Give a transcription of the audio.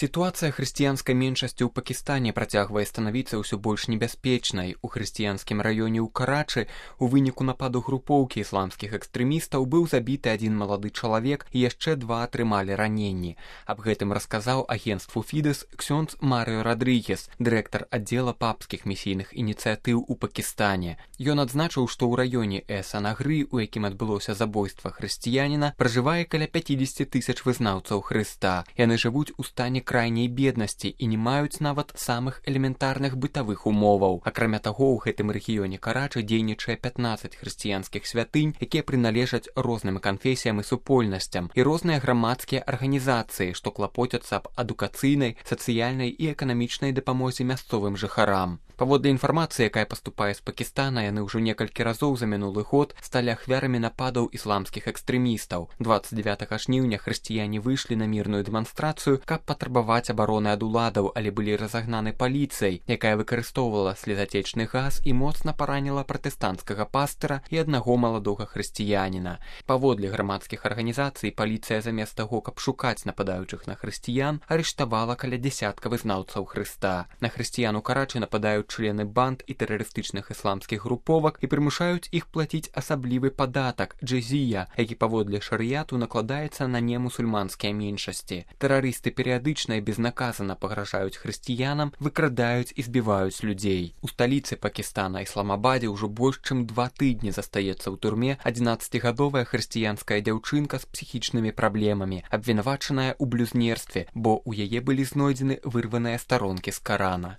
Сітуацыя хрысціянскай меншасці ў Пакістане працягвае станавіцца ўсё больш небяспечнай. У хрысціянскім раёне ў Карачы у выніку нападу групоўкі ісламскіх экстрэмістаў быў забіты адзін малады чалавек і яшчэ два атрымалі раненні. Аб гэтым расказаў агенцтву Фідэс ксёндз Марыё Радрыгес, дырэктар аддзела папскіх місійных ініцыятыў у Пакістане. Ён адзначыў, што ў раёне Эс-Анагры, у якім адбылося забойства хрысціяніна, пражывае каля 50 тысяч вызнаўцаў Хрыста. Яны жывуць у стане крайняй беднасці і не маюць нават самых элементарных бытавых умоваў. Акрамя таго, у гэтым рэгіёне Карачы дзейнічае 15 хрысціянскіх святынь, якія прыналежаць розным канфесіям і супольнасцям, і розныя грамадскія арганізацыі, што клапоцяцца аб адукацыйнай, сацыяльнай і эканамічнай дапамозе мясцовым жыхарам. Паводле інфармацыі, якая паступае з Пакістана, яны ўжо некалькі разоў за мінулы год сталі ахвярамі нападаў ісламскіх экстрэмістаў. 29 жніўня хрысціяне выйшлі на мірную дэманстрацыю, каб патрабаваць абароны ад уладаў, але былі разагнаны паліцыяй, якая выкарыстоўвала слезатечны газ і моцна параніла пратэстанцкага пастыра і аднаго маладога хрысціяніна. Паводле грамадскіх арганізацый, паліцыя замест таго, каб шукаць нападаючых на хрысціян, арыштавала каля дзясятка вызнаўцаў Хрыста. На хрысціян у Карачы нападаюць члены банд і тэрарыстычных ісламскіх груповак і прымушаюць іх плаціць асаблівы падатак джэзія, які паводле шарыяту накладаецца на немусульманскія меншасці. Тэрарысты перыядычна і безнаказана пагражаюць хрысціянам, выкрадаюць і збіваюць людзей. У сталіцы Пакістана, Ісламабадзе, ўжо больш чым 2 тыдні застаецца ў турме 11-гадовая хрысціянская дзяўчынка з псіхічнымі праблемамі, абвінавачаная ў блюзнерстве, бо ў яе былі знойдзены вырваныя старонкі з Карана.